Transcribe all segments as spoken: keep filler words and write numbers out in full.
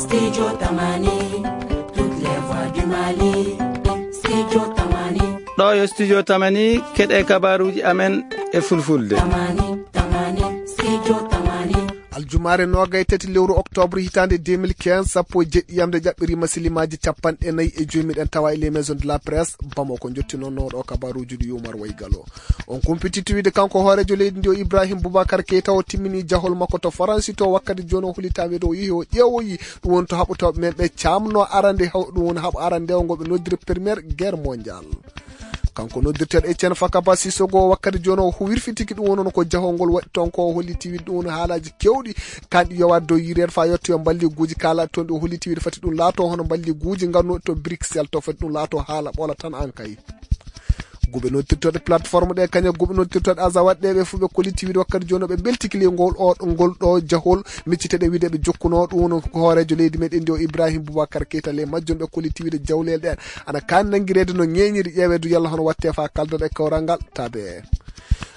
Studio Tamani, toutes les voix du Mali. Studio Tamani. Ɗo yo Studio Tamani, keɗe kabaruuji amen e fulfulde. Tamani, Tamani, Studio Tamani. Aljumaare noogay tati lewru octobre hitaande deux mille quinze, sappo e jeɗɗi yamde ƴaɓɓiriima silimaaji capanɗe nayi e joy, miɗen tawa e les maisons de la presse Bamako. Njottinono ɗo kabaruuji ɗi Umar Waygalo. On kumpititti wiide kanko hooreejo leydi ndi o Ibrahim Boubacar Keita o timmini jahol makko to Faransi to wakkati jooni o holitaama wiide o yehi o ƴeewoyi ɗum woni to haɓotooɓe men ɓe caamno arande haw-, ɗum woni haɓo arande o ngo ɓe noddiri première guerre mondiale. Kanko noddirteeɗo Etienne Fakaba Sissoko wakkati jooni o wirfitiki ɗum woni ko jahol ngol waɗi toon ko o holliti wiide ɗum woni haalaaji keewɗi kanɗi yowaade dow yireede faa yettoyo mballiguuji kaala toon ɗi o holliti wiide fati ɗum laato hono mballiguuji nganno to Bruxelles to fati ɗum laato haala ɓoola tan an kay. Guɓe noddirtooɗe plateforme ɗe, kañum guɓe noddirtooɗe Azawad ɗe, ɓe fof ɓe kolliti wiide wakkati jooni ɓe mbeltiki ley ngol o, ngol ɗo jahol, miccite ɗe wiide ɓe jokkuno ɗum woni ko hooreejo leydi meɗen ndi o Ibrahim Boubacar Keita ley majjum, ɓe kolliti wiide jawleele ɗen ana kaani nanngireede no ñeeñiri ƴeeweede yalla hono watte faa kaldoɗe kawral ngal tabe.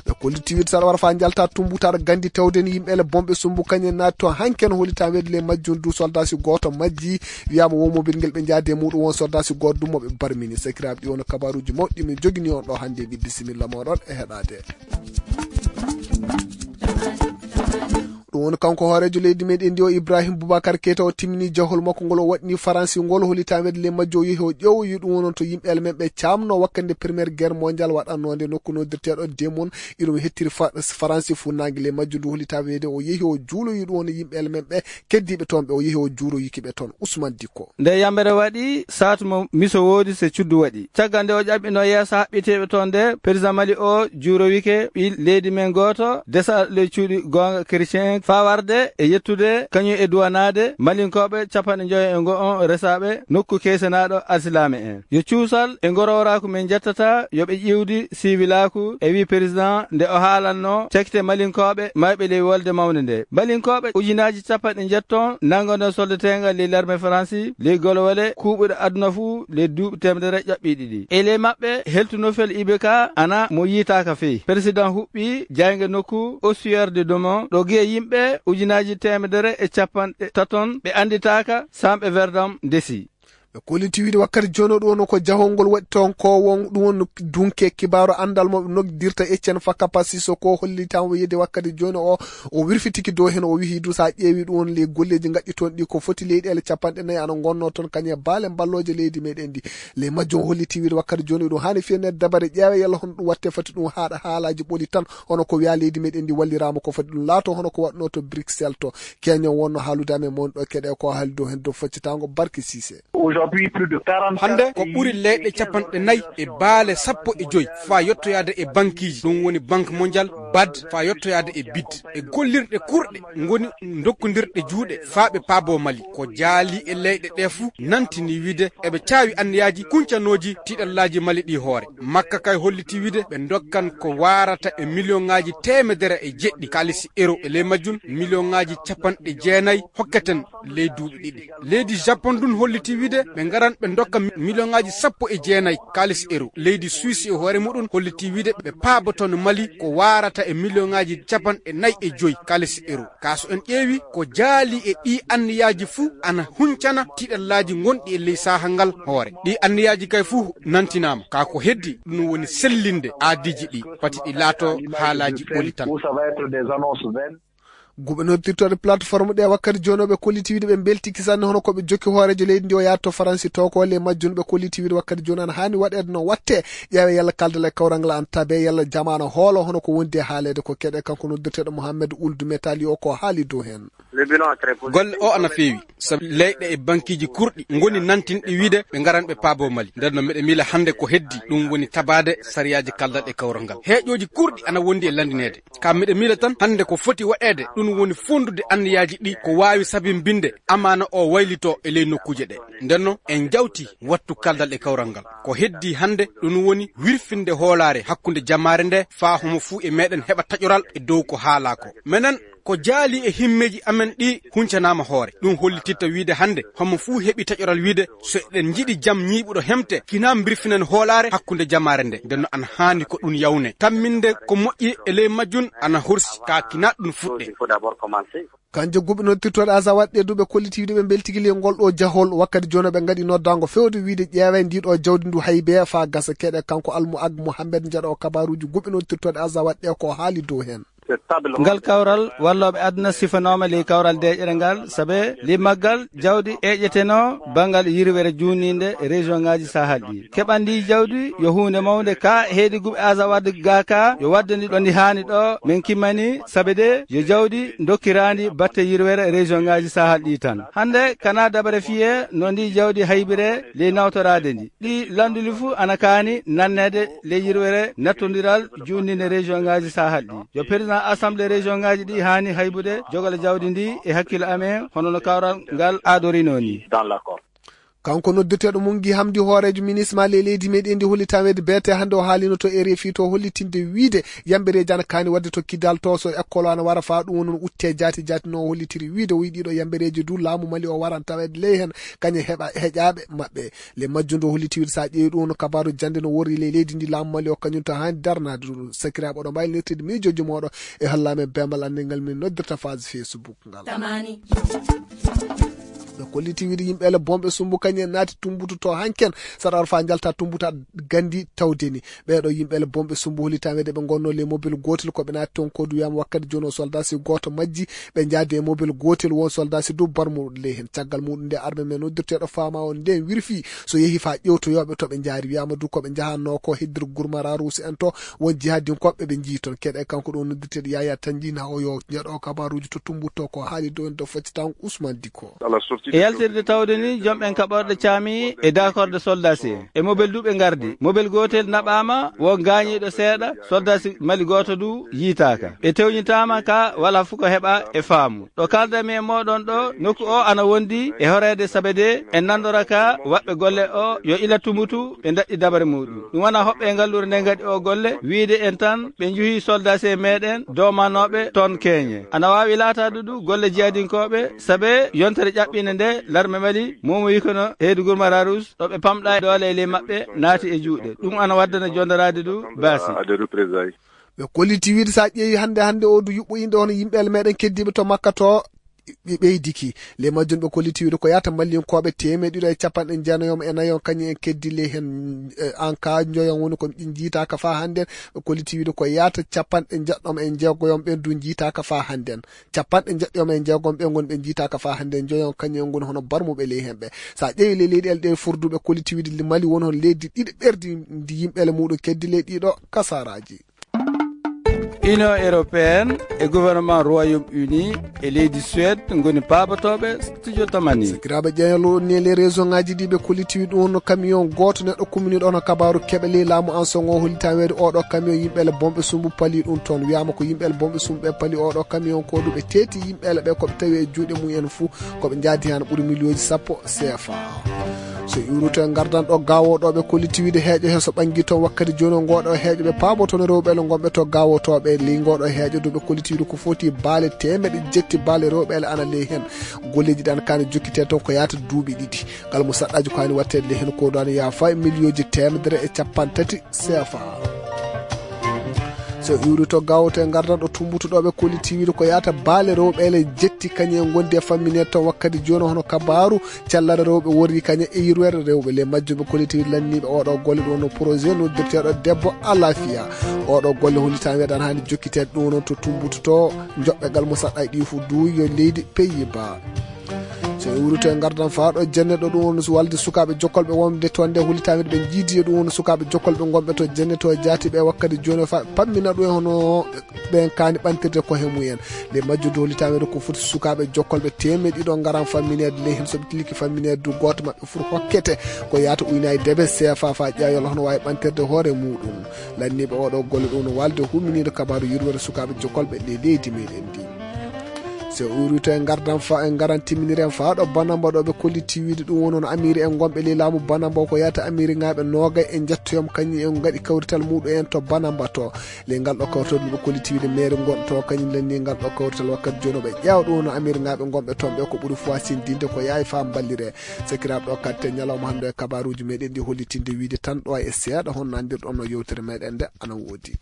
Ɓe kolliti wiide saɗa wara faa njalta tumbu taɗa gandi tewden yimɓe ele bomɓe sumbu kañum naati to hanken holita weede ley majjum du soldasi gooto majji. Wiyaama wo mobil ngel ɓe njaadi e muɗum won soldasi gooto ɗum mo ɓe barmini. Sakiraaɓe ɗi wona kabaruuji mawɗi min jogini on ɗo hannde e ɓiɗde similla mooɗon e heɗaade. Ɗum woni kanko hooreejo leydi meɗen ndi o Ibrahim Boubacar Keita o timmini jahol makko ngol o waɗni Faransi ngol holita weede ley majjo o yehi o ƴeewoyi ɗum wonon to yimɓe ele men ɓe caamno wakkati nde première guerre mondiale waɗannoo nde nokku noddirteeɗo Demon iɗum hettiri Fa-, Faransi funnaange ley majjo ndu holita weede o yehi o juuloyi ɗum woni yimɓe ele men ɓe keddiiɓe toon ɓe o yehi o juuroyiki ɓe toon. Ousmane Dikko. Nde yambere waɗi, saatu mo miso woodi se cuddu waɗi. Caggal nde o ƴaɓɓino yeeso haɓɓiteeɓe toon nde, président Mali o juurowike ɓi leydi men gooto, desa ley cuuɗi goonga chrétien, faa warde e yettude kañum e duwanaade Malinkooɓe capanɗe njoyo e ngo on resaaɓe nokku keysenaaɗo alsilaame en. Yo cuusal e ngorowraaku men njettata yo ɓe ƴiwdi siwilaaku, e wi président nde o haalanno cakite Malinkooɓe mayɓe ley wolde mawnde nde. Malinkooɓe ujunaaji capanɗe njetton nanngono soldateengal ley larme Faransi, ley golwole kuuɓuɗe aduna fuu ley duuɓi teemedere ƴaɓɓi ɗiɗi. E ley maɓɓe, heltunofel I B K ana mo yiitaaka fey. Président huɓɓi jaynge nokku Ossuaire de Domon, ɗo giye yimɓe ujunaaji teemedere e capanɗe taton ɓe annditaaka, Samɓe Verdam ndesi. Ɓe kolliti wiide wakkati jooni o ɗum woni ko jahol ngol waɗi toon ko won ɗum woni dunke kibaaru anndal mo ɓe noddirta Etienne Fakapa Sissoko hollitaama o yedde wakkati jooni o, o wirfitiki dow heen o wihi du so a ƴeewi ɗum woni ley golleeji ngaɗɗi toon ɗi ko foti leyɗeele capanɗe nayi ana ngonnoo toon kañum e baale mballooje leydi meɗen ndi. Ley majjum o holliti wiide wakkati jooni ɗum haani fiyane dabare ƴeewe yalla hono ɗum watte foti ɗum haaɗa haalaaji ɓoli tan hono ko wiya leydi meɗen ndi walliraama ko foti ɗum laato hono ko waɗnoo to Bruxelles to. Keño wonno haalude amen mon ɗo keɗe ko haaldo heen dow faccitango Barke Sise. Aujourd'hui, plus de quarante Hannde ko ɓuri leyɗe capanɗe nayi e baale sappo e joy faa yettoyaade e bankiiji, ɗum woni Banque Mondiale, bad, faa yettoyaade e bid. E gollirɗe kurɗe ngoni dokkondirɗe juuɗe faa ɓe paabo Mali. Ko jaali e leyɗe ɗe fuu nantini wiide eɓe caawi anniyaaji kuncanooji tiiɗallaaji Mali ɗi hoore. Makka kay holliti wiide ɓe ndokkan ko waarata e miliyoŋaaji teemedere e jeɗɗi kaalisi euro, e ley majjum miliyoŋaaji capanɗe jeenayi hokketen ley duuɓi ɗiɗi. Leydi Japon ndun holliti wiide ɓe ngaran ɓe ndokka mi-, miliyoŋaaji sappo e jeenayi kaalisi euro. Leydi Suisse e hoore muɗum holliti wiide ɓe paaboton Mali ko waarata e miliyoŋaaji capanɗe nayi e joy kaalisi euro. Kaa so en ƴeewi ko jaali e ɗii anniyaaji fuu ana huncana tiiɗallaaji ngonɗi e ley saha ngal hoore. Ɗii anniyaaji kay fuu nantinaama. Kaa ko heddi ɗum woni sellinde aadiiji ɗi, pati ɗi laato haalaaji ɓoli tan. Guɓe noddirtooɗe plateforme ɗe wakkati jooni o ɓe kolliti wiide ɓe mbeltiki sanne hono ko ɓe jokki hooreejo leydi ndi o yaha to Faransi to ko le majjum ɓe kolliti wiide wakkati jooni ana haani waɗeede no watte ƴeewe yalla kaldal e kawral ngal ana tabe yalla jamaano hoolo hono ko wondi e haaleede ko keɗe kanko noddirteeɗo Mohamed Ould Metali o ko haali dow heen. Golle o ana feewi, sabu leyɗe e bankiiji kurɗi ngoni nantinɗi wiide ɓe ngaran ɓe paabo Mali. Nden no miɗa miila hannde ko heddi, ɗum woni tabaade sariyaaji kaldal e kawral ngal. Heeƴooji kurɗi ana wondi e lanndineede. Ka miɗa miila tan hannde ko foti waɗeede, ɗum woni fonndude anniyaaji ɗi ko waawi sabimbinde amaana o waylitoo e ley nokkuuje ɗe. Nden no en njawti wattu kaldal e kawral ngal. Ko heddi hannde, ɗum woni wirfinde hoolaare hakkunde jamaare nde, faa homo fuu e meɗen heɓa taƴoral e dow ko haalaa ko. Menen, ko jaali e himmeeji amen ɗi huncanaama hoore. Ɗum hollititta wiide hannde, homo fuu heɓi taƴoral wiide, so eɗen njiɗi jam ñiiɓuɗo hemte, kinaa mbirfinen hoolaare hakkunde jamaare nde. Nden no ana haani ko ɗum yawne. Tamminde ko moƴƴi e ley majjum ana horsi, kaa kinaa ɗum fuɗɗe. Kanje guɓe noddirtooɗe Azawad ɗe du ɓe kolliti wiide ɓe mbeltigi ley ngol ɗo jahol, wakkati jooni ɓe ngaɗi noddaango fewde wiide ƴeewee ndii ɗo jawdi ndu haybe faa gasa keɗe. Kanko Almu Ag Mohammed njaɗo kabaruuji guɓe noddirtooɗe Azawad ɗe ko haali dow heen. Ngal kawral wallooɓe aduna sifanooma ley kawral deeƴere ngal, sabe ley maggal jawdi eƴetenoo banngal yirwere juunniinde région ŋaaji Sahel ɗi. Keɓandi jawdi yo huunde mawnde ka heedi guɓe Azawad ga ka yo wadde ndi ɗo ndi haani ɗo men kimmani, sabe de yo jawdi dokkiraandi batte yirwere région ŋaaji Sahel ɗi tan. Hannde kana dabare fiye no ndi jawdi haybire ley nawtoraade ndi. Ɗi lannduli fuu ana kaani nanneede ley yirwere nattondiral juunniinde région ŋaaji Sahel ɗi. Yo président assemblée région ŋaaji ɗi haani haybude jogale jawdi ndi e hakkille amen, hono no kawral ngal aadorinoo ni. Kanko noddirteeɗo Mungi Hamdi, hooreejo minisma ley leydi meɗen ndi, holli taweede beete hannde o haalino to R F I to hollitinde wiide yambereeji ana kaani waɗde to Kidal to, so école ana wara faa ɗum woni utte jaati jaati no o hollitiri wiide o yiɗi ɗo yambereeji du laamu Mali o waran taweede ley heen kañe heɓa heƴaaɓe maɓɓe. Le majjum ndu holliti wiide so a ƴeewi ɗum no kabaaru jannde no worri ley leydi ndi laamu Mali o kañum to haani darnaade ɗum. Sakiraaɓe oɗo mbaawi nirtide miijooji mooɗo e hollaame beembal annde ngal min noddirta phase Facebook ngal. Ɓe kolliti wiide yimɓe ele bomɓe sumbu kañum en naati tumbutu to hanken saɗa faa njalta tumbuta gandi tawde ni. Ɓeeɗo yimɓe ele bomɓe sumbu holitameede ɓe ngonno le mobile gootel ko ɓe naati toon kodu wiyama wakkati jooni o soldat si gooto majji ɓe njaadi e mobile gootel won soldat si du barmuɗo ley heen. Caggal muɗum nde arme men noddirteeɗo faama on nden wirfi so yehi faa ƴewtoyooɓe to ɓe njaari wiyama du ko ɓe njahanno ko heddir gurmara ruusi en to won jihadinkoɓe ɓe njii toon. Keɗe kanko ɗo noddirteeɗo Yaya Tanji na o yo jeɗo kabaruuji to tumbutto ko haali dow en do faccitan Ousmane Diko. E yaltirde tawde ni jomɓen kaɓorɗe caami e dakorde soldasi en. E mobel du ɓe ngardi. Mobel gootel naɓaama, wo gaañiiɗo seeɗa, soldasi Mali gooto du yiitaaka. Ɓe tewñitaama ka wala fu ko heɓa e faamu. Ɗo kaldami e mooɗon ɗo, nokku o ana wondi e horeede sabe de en nanndora ka waɓɓe golle o yo ila tumutu ɓe daɗɗi dabare muɗum. Ɗum wona hoɓɓe e ngalluure nde ngaɗi o golle, wiide en tan ɓe njuhi soldasi e meɗen domanooɓe toon keeñe. Ana waawi laataade du golle jihadinkooɓe, sabe yontere ƴaɓɓinde nde larme Mali momoyi kono heedu Gurmara Rouge ɗo ɓe pamɗa e doole e ley maɓɓe naati e juuɗe. Ɗum ana waddana jondoraade du baasi. Ɓe kolliti wiide so a ƴeewi hannde, hannde o du yuɓɓo yimɓe hono yimɓe meɗen keddiiɓe to Makka to, ɓe ɓeydiki. Ley majjum ɓe kolliti wiide ko yahata Mallinkooɓe teemeɗɗe ɗiɗo e capanɗe jeenayo e nayo kañum en keddi ley heen, eh, en ka njoyon woni ko ɓe njiitaaka faa hannden. Ɓe kolliti wiide ko yahata capanɗe njeɗɗo e jeegoyon ɓen du njiitaaka faa hannden. Capanɗe njeɗɗo e jeegom ɓe ngon ɓe njiitaaka faa hannden njoyon kañum en ngoni hono barmuɓe ley heen ɓe. So a ƴeewi ley leyɗeele ɗe furduɓe kolliti wiide Mali woni hono leydi ɗiɗi ɓerdi ndi yimɓeele muɗum keddi ley ɗiɗo kasaraaji. Union européenne e gouvernement Royaume-Uni e leydi Suède ngoni paabotooɓe studio Tamani. Sakiraaɓe ƴeeñal o ni e ley région ngaji ɗi ɓe kolliti wi ɗum no camion gooto neɗɗo kumminiiɗo hono kabaaru keɓe ley laamu an songo hollitaa weede oɗo camion yimɓeele bomɓe sumbu pali ɗum toon. Wiyaama ko yimɓeele bomɓe sumbu ɓe pali oɗo camion ko ɗum ɓe teeti yimɓeele ɓe ko ɓe tawi e juuɗe mumen fuu ko ɓe njaadi heen ɓuri miliyooji sappo C F A. So iwruto e ngardan ɗo gaawooɗo ɓe kolliti wiide heeƴo he so ɓangi toon wakkati jooni o ngooɗo heeƴo ɓe paabo toon rewɓe le ngonɓe to gaawotooɓe ley ngooɗo heeƴo du ɓe kolliti wiide ko foti baale teemeɗe jetti baale rewɓe le ana ley heen. Golleeji ɗan kaani jokkitee toon ko yaata duuɓi ɗiɗi. Ngal mo saɗɗaaji ko haani waɗteede ley heen ko ɗo ana yaafa e miliyooji teemedere e capanɗe tati C F A. So iwri to gawto e ngardan ɗo tumbutuɗoɓe kolliti wiide ko yaata baale rewɓe le jetti kañe e gondi e fammineede toon wakkati jooni hono kabaaru cellare rewɓe worri kañe e yirwere rewɓe le majjuɓe kolliti wiide lanniiɓe oɗo golle ɗum no projet noddirteeɗo debbo alafiya. Oɗo golle hollitaama weeɗan haani jokkiteede ɗum noon to tumbututo joɓɓe gal mo saɗɗa e ɗi fof duuyo leydi Pays-Bas. So en wuuri to e ngardan faa ɗo jenne ɗo ɗum woni walde sukaaɓe jokkolɓe wonde toon nde hulitaami ɓe jiidi e ɗum woni sukaaɓe jokkolɓe ngonɓe to jenne to jaati ɓe wakkati jooni fa pammina ɗum e hono ɓen kaani ɓantirde ko he mumen. Nde majjude hulitaami ko foti sukaaɓe jokkolɓe teemeɗe ɗiɗo ngaran fammineede ley heen so ɓe tiliki fammineede du gooto maɓɓe foti hokkete ko yaata uynaade debe C F A faa ƴeewa yalla hono waawi ɓantirde hoore muɗum. Lanniiɓe oɗo golle ɗum no walde humminiiɗo kabaaru yurwere sukaaɓe jokkolɓe ley leydi meɗen ndi. So uruto e ngardan fa en ngaran timminiren faa ɗo Banamba ɗo ɓe kolliti wiide ɗum woni on Amiri en gonɓe ley laamu Banamba ko yaata Amiri ngaaɓe noogay e njettoyom kañum en ngaɗi kawrital muɗum en to Banamba to. Ley ngal ɗo kawrital ɓe kolliti wiide meere ngon to kañum lenni ngal ɗo kawrital wakkati jooni ɓe ƴeewa ɗum woni Amiri ngaaɓe gonɓe toon ɓe ko ɓuri faa sindinde ko yaay faa mballire. Sakiraaɓe ɗo katte ñalawma hannde e kabaaruuji meɗen ɗi hollitinde wiide tan ɗo e seeɗa hon nandirɗon no yewtere meɗen nde ana woodi.